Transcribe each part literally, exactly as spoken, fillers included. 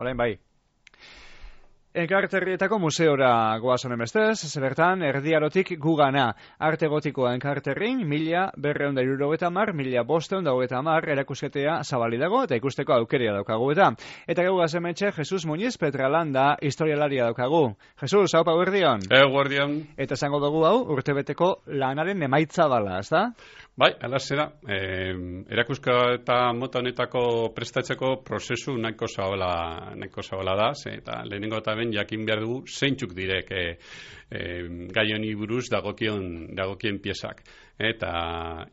Orain bai. Enkarterrietako museora goaz honen bestez, zebertan erdiarotik gugana. Arte gotikoa enkarterrin, mila berreun da irurogeta mar, mila bosteun da hogeta mar erakusketea zabali dago, eta ikusteko aukeria daukagu eta. Eta gau gazemetxe, Jesus Muñiz Petralanda historialaria daukagu. Jesus, hau pau erdion? Ego erdion. Eta esango dugu hau, urtebeteko lanaren emaitza bala, ez da? Bai, alazera, eh, erakuska eta mota honetako prestatzeko prozesu nahiko zabala, nahiko zabala da, ze, eta lehenengo eta ben jakin behar dugu zeintzuk direk eh, eh, gai honi buruz dagokion, dagokien piezak. Eta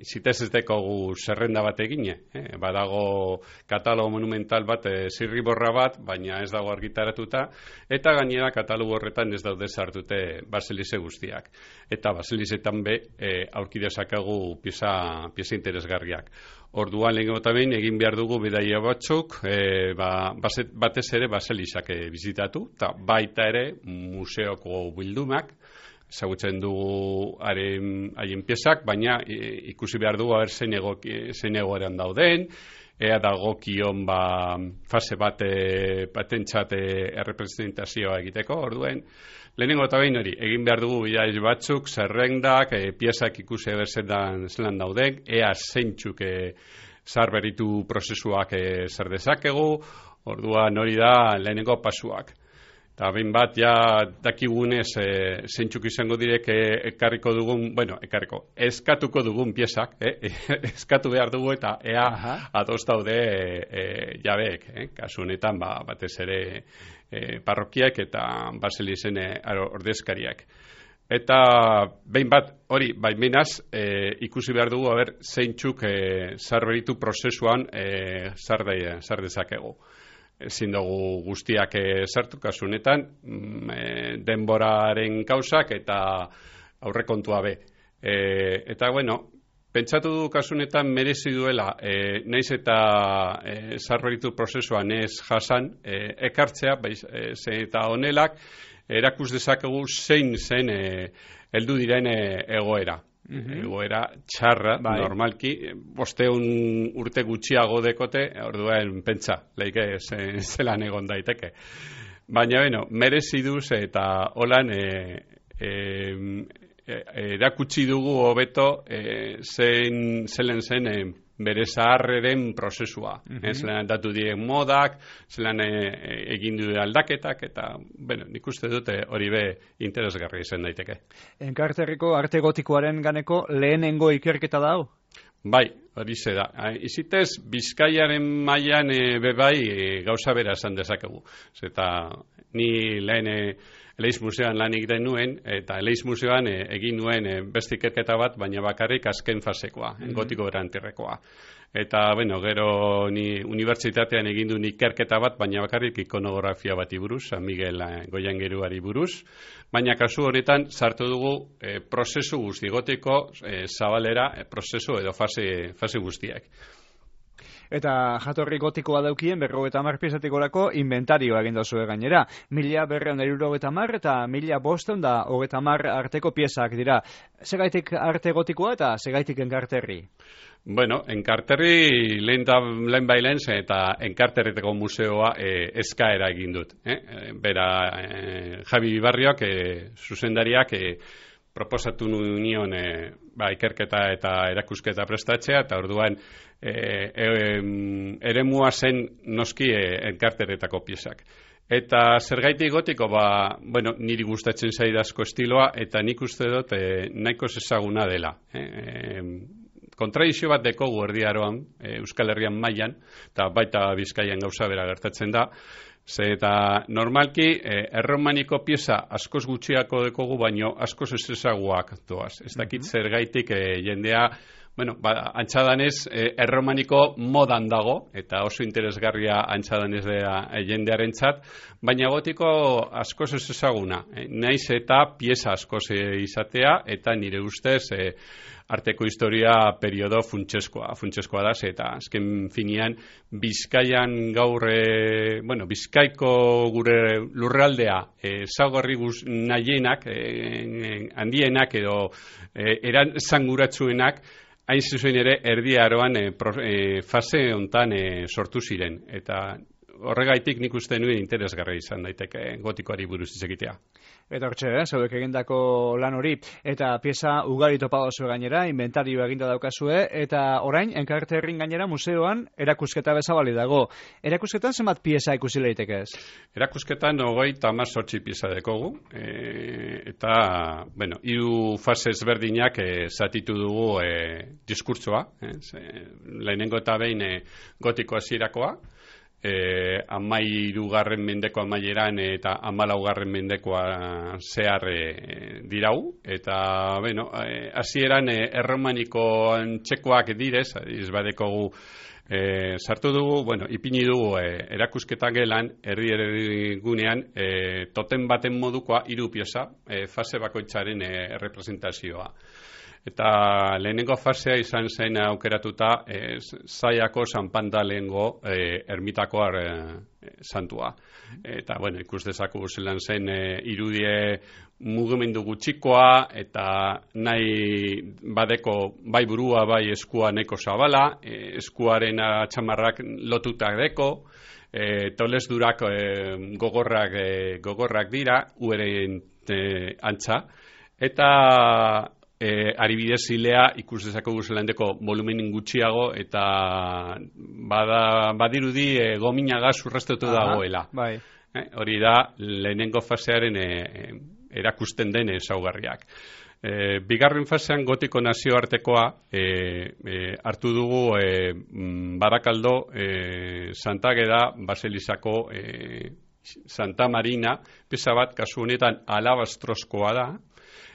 zitez ez dekogu zerrenda bat egine, eh? Badago katalogo monumental bat, eh, zirriborra bat, baina ez dago argitaratuta, eta gainera katalogo horretan ez daude sartute baselize guztiak. Eta baselizetan be, eh, aurki dezakegu pieza, pieza interesgarriak. Orduan lehenengo eta behin egin behar dugu bidaia batzuk, e, ba, batez ere baselizak e, bizitatu, eta baita ere museoko bildumak, ezagutzen dugu haren haien piezak, baina e, ikusi behar dugu haber zein egoeran dauden, ea dagokion ba, fase bat batentzat errepresentazioa egiteko, orduen, lehenengo eta behin hori, egin behar dugu bidaiz batzuk, zerrendak, e, piezak ikusi berzetan zelan dauden, ea zeintzuk e, zarberitu prozesuak e, zer dezakegu, orduan hori da lehenengo pasuak. Eta behin bat, ja dakigunez e, zeintzuk izango direk e, ekarriko dugun, bueno, ekarriko, eskatuko dugun piezak, eh? eskatu behar dugu eta ea ados daude e, e, jabeek, eh? Kasu honetan ba, batez ere e, parrokiak eta baselizen e, ordezkariak. Eta behin bat, hori, baimenaz, e, ikusi behar dugu, haber, zeintzuk e, zarberitu prozesuan e, zar dezakegu. Ezin dugu guztiak sartu kasu honetan, e, denboraren kausak eta aurrekontua be. E, eta, bueno, pentsatu du kasu honetan merezi duela, e, naiz eta e, zarberitu prozesuan ez jasan, e, ekartzea, baiz, e, ze eta honelak, erakus dezakegu zein zen e, heldu diren e, egoera. Mm-hmm. Egoera txarra, bai. Normalki, bosteun urte gutxiago dekote, orduan pentsa, leike zelan egon daiteke. Baina, bueno, merezi duz eta holan e, e, e, erakutsi dugu hobeto e, zein zelen zen e, bere zaharreren prozesua. Mm-hmm. eh, zelan datu diren modak, zelan e, egin du aldaketak, eta, bueno, nik uste dute hori be interesgarri izan daiteke. Enkarterriko arte gotikoaren ganeko lehenengo ikerketa da hau? Bai, hori ze da. Izitez, Bizkaiaren mailan e, bebai e, gauza bera esan dezakegu. Zeta, ni lehen e, Eleiz Museoan lan egiten nuen, eta Eleiz Museoan e, egin nuen e, beste ikerketa bat, baina bakarrik azken fasekoa, mm-hmm. gotiko berantirrekoa. Eta, bueno, gero ni unibertsitatean egin duen ikerketa bat, baina bakarrik ikonografia bati buruz, San Miguel e, Goiangeruari buruz, baina kasu honetan sartu dugu e, prozesu guzti, gotiko e, zabalera, e, prozesu edo fase, fase guztiak. Eta jatorri gotikoa daukien berrogeita hamar piezatik gorako inventarioa egin dozue gainera. Mila berreun da hirurogeita hamar eta mila bosteun da hogeita hamar arteko piezak dira. Segaitik arte gotikoa eta segaitik enkarterri? Bueno, enkarterri lehen, da, lehen bailen eta enkarterriteko museoa e, eskaera egin dut. Eh? Bera, e, Javi Bibarriok, e, zuzendariak, e, proposatu nion e, ba, ikerketa eta erakusketa prestatzea, eta orduan e, e, eremua zen noski e, enkarteretako piezak. Eta zergaitik gotiko, ba, bueno, niri gustatzen zaidazko estiloa, eta nik uste dut e, nahiko ezaguna dela. E, e, kontradizio bat dekogu erdiaroan, e, Euskal Herrian mailan, eta baita Bizkaian gauza bera gertatzen da, ze eta normalki eh, erromaniko pieza askoz gutxiako dekogu, baino askoz ez ezaguak doaz. Ez dakit mm-hmm. zergaitik eh, jendea, bueno, ba, antxadanez eh, erromaniko modan dago, eta oso interesgarria antxadanez eh, jendearen txat, baina gotiko askoz ez ezaguna. Eh, naiz eta pieza askoz eh, izatea, eta nire ustez eh, arteko historia periodo funtseskoa, funtseskoa da, eta azken finean Bizkaian gaur, e, bueno, Bizkaiko gure lurraldea ezaugarri e, nahienak, e, handienak edo e, eran zanguratsuenak, hain zuzen ere erdi aroan e, pro, e, fase hontan e, sortu ziren, eta horregaitik nik uste nuen interesgarri izan daiteke gotikoari buruz hitz egitea. Eta hortxe, eh, zauek egindako lan hori, eta pieza ugari topa oso gainera, inventarioa eginda daukazue, eta orain, Enkarterrin gainera museoan erakusketa bezabali dago. Erakusketan zenbat pieza ikusi leiteke ez? Erakusketan ogoi tamar sortzi pieza dekogu, e, eta, bueno, hiru fase ezberdinak e, zatitu dugu e, diskurtsoa, e, lehenengo eta behin e, gotiko hasierakoa, E, amairugarren mendeko amaieran eta amalaugarren mendekoa zehar e, dirau, eta bueno, hasieran e, erromaniko txekoak direz, izbadekogu e, sartu dugu, bueno, ipini dugu e, erakusketa gelan, herri herri gunean, e, toten baten modukoa hiru pieza, e, fase bakoitzaren e, representazioa. Eta lehenengo fasea izan zen aukeratuta e, Zaiako San Pantalengo e, ermitako e, santua. Eta, bueno, ikus dezaku zelan zen e, irudie mugimendu gutxikoa eta nahi badeko bai burua bai eskua neko zabala, e, eskuaren atxamarrak lotutak deko, e, tolesdurak e, gogorrak, e, gogorrak dira, ueren e, antza, eta E, aribidez zilea ikus dezako guzelandeko volumenin gutxiago eta bada, badirudi e, gominaga zurreztetu dagoela. Bai. E, hori da lehenengo fasearen e, erakusten den ezaugarriak. E, bigarren fasean gotiko nazioartekoa e, e, hartu dugu e, Barakaldo, e, Santa Ageda, Baselizako e, Santa Marina, pesa bat kasu honetan alabastrozkoa da,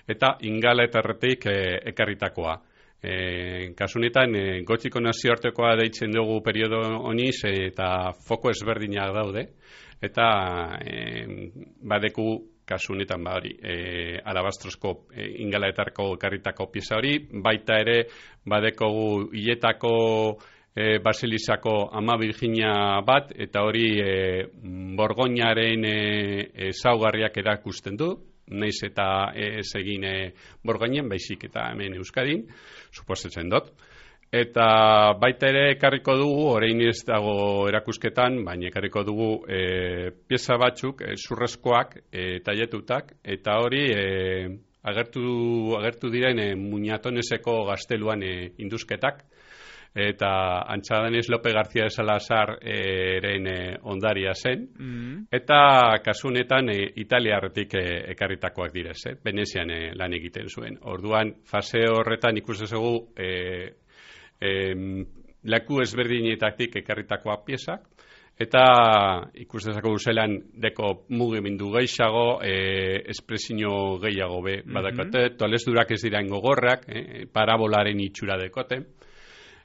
eta Ingalaterretik e, ekarritakoa. E, kasunetan, e, gotiko nazioartekoa deitzen dugu periodo honiz e, eta foko ezberdinak daude, eta e, badeku kasunetan ba hori, e, alabastrozko e, Ingalaterreko ekarritako pieza hori, baita ere badekogu hiletako e, Basilizako Ama Virginia bat, eta hori e, Borgoñaren ezaugarriak e, erakusten du, naiz eta ez egin e, Borgoinen, baizik eta hemen Euskadin, suposatzen dut. Eta baita ere ekarriko dugu, orain ez dago erakusketan, baina ekarriko dugu e, pieza batzuk, e, zurrezkoak, e, tailetutak, eta hori e, agertu, agertu diren e, Muñatoneseko gazteluan e, induzketak, eta antxadanez Lope García de Salazar eren e, ondaria zen, mm. eta kasunetan e, Italiarretik e, ekarritakoak direz, eh? Venezian e, lan egiten zuen. Orduan, fase horretan ikus dezagu e, e, leku ezberdinetatik ekarritakoak piezak, eta ikus dezagu zelan deko mugimendu gehiago, e, espresio gehiago be, mm-hmm. badakate, tolesdurak ez dira gogorrak, e, parabolaren itxura dekote.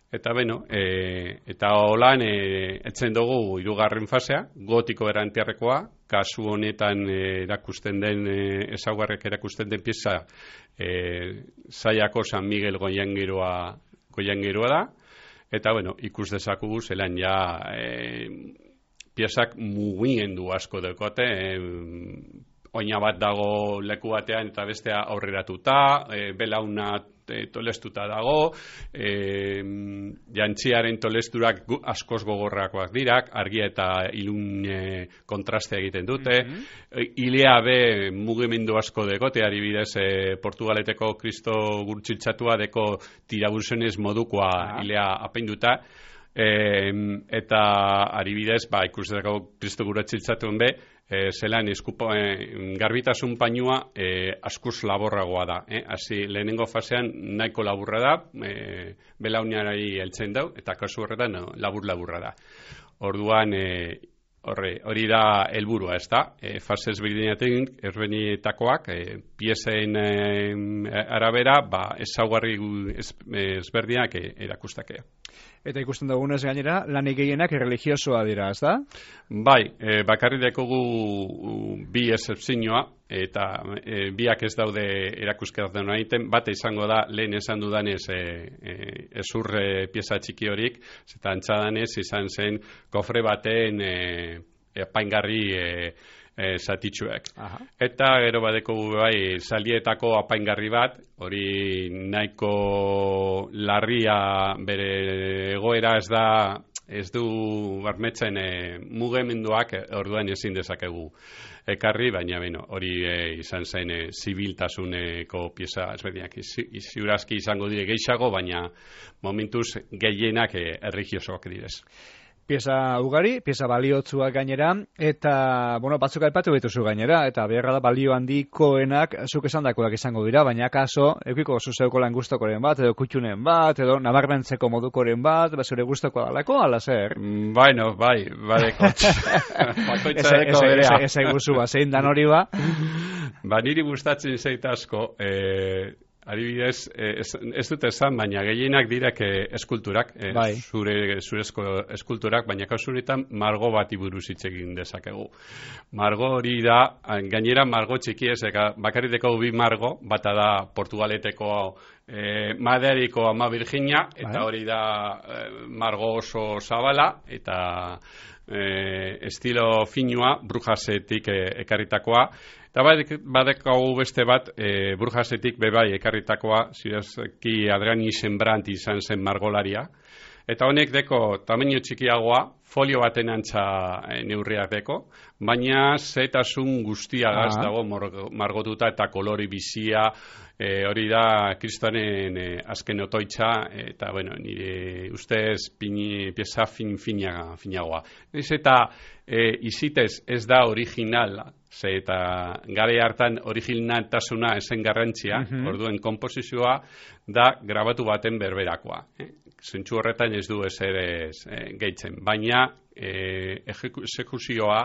Eta beno, e, eta holan e, etzen dugu hirugarren fasea, gotiko erantiarrekoa, kasu honetan e, erakusten den, e, ezaugarrek erakusten den pieza e, Zaiako San Miguel Goiangeroa, Goiangeroa da, eta bueno, ikus dezakugu zelan ja e, piezak mugimendu asko dekote, e, oina bat dago leku batean eta bestea aurreratuta, e, belauna e, tolestuta dago, e, jantziaren tolesturak askoz gogorrakoak dirak, argia eta ilun e, kontraste egiten dute, mm-hmm. ilea be mugimendu asko dekote, adibidez e, Portugaleteko Kristo gurtsiltzatua deko tirabuzenez modukoa ah. ilea apainduta, e, eta adibidez, ba, ikusteko Kristo gurtsiltzatuen be, E, zelan eskupo, e, garbitasun painua e, askuz laborragoa da. Eh? Hasi lehenengo fasean nahiko laburra da, e, belauniarari heltzen dau, eta kasu horretan no, labur-laburra da. Orduan, e, horre, hori da helburua, ez da? E, fase ezberdinatik, ezberdinetakoak, e, piezen e, arabera, ba, ezaugarri ez, ezberdinak e, erakustakea. Eta ikusten dugunez gainera, lanik gehienak erreligiosoa dira, ez da? Bai, e, bakarri dekogu bi excepzioa, eta e, biak ez daude erakusketan egiten, bate izango da, lehen esan dudanez, e, e, ezur e, pieza txiki horik, eta antxadanez izan zen kofre baten e, apaingarri e, e, zatitxuek. Aha. Eta gero badeko bai salietako apaingarri bat, hori nahiko larria bere egoera ez da ez du barmetzen e, mugimenduak e, orduan ezin dezakegu ekarri, baina beno, hori e, izan zen e, zibiltasuneko pieza ezberdinak ziurazki izango dire gehiago, baina momentuz gehienak e, erligiosoak direz. Pieza ugari, pieza baliotzuak gainera, eta, bueno, batzuk aipatu dituzu gainera, eta beharra da balio handikoenak zuk esandakoak izango dira, baina kaso, eukiko zuzeuko lan gustokoren bat, edo kutxunen bat, edo nabarmentzeko modukoren bat, bazure gustoko dalako, ala zer? Mm, bueno, bai, badeko. Bakoitzareko berea. Ez eguzu, zein dan hori ba? Ba, niri gustatzen zait asko, eh, adibidez, ez, ez dut esan, baina gehienak direk eskulturak, eh, bai. zure, zurezko eskulturak, baina kausunetan margo bati buruz hitz egin dezakegu. Margo hori da, gainera margo txiki ez, bakarriteko bi margo, bata da Portugaleteko eh, Maderiko Ama Virginia, eta hori da eh, margo oso zabala, eta eh, estilo finua, Brujasetik eh, ekarritakoa, eta badekagu beste bat, e, Burjasetik bebai ekarritakoa, zirazki Adrani Sembrant izan zen margolaria. Eta honek deko tamaino txikiagoa, folio baten antza e, neurriak deko, baina zetasun guztiagaz ah. dago margotuta eta kolori bizia, e, hori da kristonen e, azken otoitza, eta bueno, nire ustez pini, pieza fin, finaga, finagoa. Ez eta e, izitez ez da originala, ze eta gare hartan originaltasuna esen garrantzia, mm-hmm. orduen komposizioa da grabatu baten berberakoa. Eh? Zentsu horretan ez du ez ere eh, gehitzen, baina eh, exekuzioa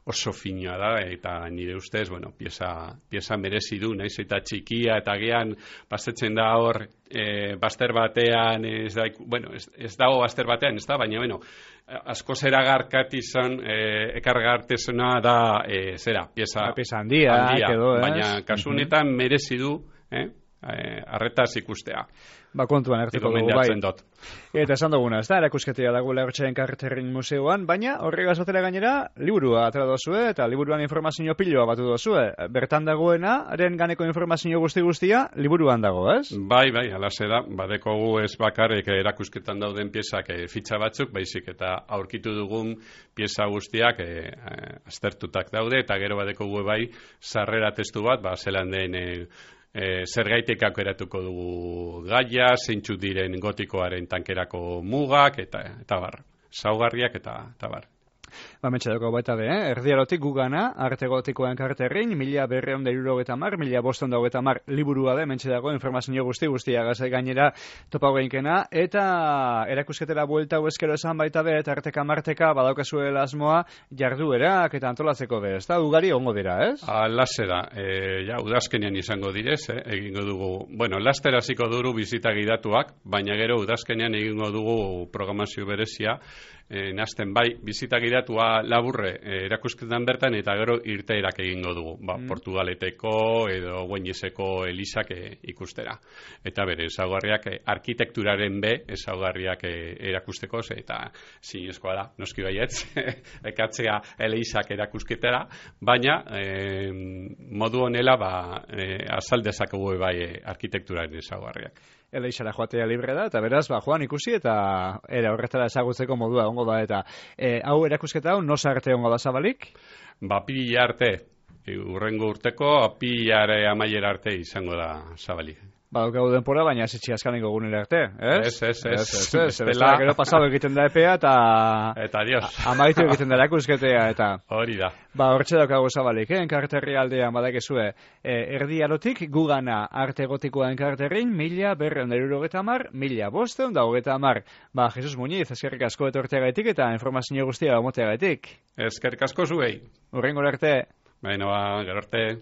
oso fina da, eta nire ustez, bueno, pieza, pieza merezi du, naiz eta txikia, eta gian bastetzen da hor, e, baster batean, ez, da, bueno, ez, ez dago baster batean, ez da, baina, bueno, asko zera garkatizan, e, ekargartezuna da, e, zera, pieza, pieza handia, handia edo, baina kasunetan uh-huh. merezi du, eh, arretaz ikustea. Ba, kontuan hartuko dugu, bai. Eta esan duguna, ez da, erakusketia dagoela Hortxaren Karterrin museoan, baina horregaz batera gainera, liburua atera dozue, eta liburuan informazio piloa batu dozue. Bertan dagoena, haren ganeko informazio guzti-guztia, liburuan dago, ez? Bai, bai, alase da, badekogu ez bakarrik erakusketan dauden piezak e, fitxa batzuk, baizik eta aurkitu dugun pieza guztiak e, e, aztertutak daude, eta gero badekogu bai, sarrera testu bat, ba, zelan den e, E, zergaitik aukeratuko dugu gaia, zeintzu diren gotikoaren tankerako mugak, eta, eta bar, saugarriak eta, eta bar. Ba, metxedako baita be, eh? Erdiarotik gugana, arte gotikoen karterrin, mila berreon da irurogeta mar, mila boston da hogeta mar liburua de, metxedako informazio guzti guztia gazai gainera topa geinkena, eta erakusketera buelta hueskero esan baita be, eta arteka marteka badaukazuela asmoa jarduerak eta antolatzeko be, ez da, ugari ongo dira, ez? Alase da, e, ja, udazkenean izango direz, eh? egingo dugu, bueno, laster hasiko duru bizita gidatuak, baina gero udazkenean egingo dugu programazio berezia, E, nazten bai, bizita gidatua laburre e, erakusketan bertan eta gero irteerak egingo dugu, ba, mm. Portugaleteko edo Guaineseko elizak e, ikustera. Eta bere, ezaugarriak e, arkitekturaren be, ezaugarriak e, erakusteko, ze, eta zinezkoa da, noski baietz, ekatzea elizak erakusketera, baina e, modu honela ba, e, azaldezakegu bai e, arkitekturaren ezaugarriak. Eleixara joatea libre da, eta beraz, ba, joan ikusi, eta era horretara ezagutzeko modua ongo da, eta e, hau erakusketa hau, nosa arte ongo da zabalik? Ba, apirila arte, urrengo urteko, apilare amaiera arte izango da zabalik. Ba, dukagu denpora, baina ez itxi askaniko gunera arte, ez? Ez, ez, ez. Ez, ez, ez. Gero pasado egiten da epea, eta... Eta adios. Amaitu egiten da erakusketea, eta... Hori da. Ba, hortxe daukagu zabalik, eh? Enkarterri aldean badakezue. E, erdi arotik, gugana arte gotikoa enkarterrin, mila berreun da irurogeta mar, mila bosteun da hogeta mar. Ba, Jesus Muñiz, eskerrik asko etorteagaitik eta informazio guztia omoteagaitik. Eskerrik asko zuei. Urrengo arte. Baina, ba, gero arte.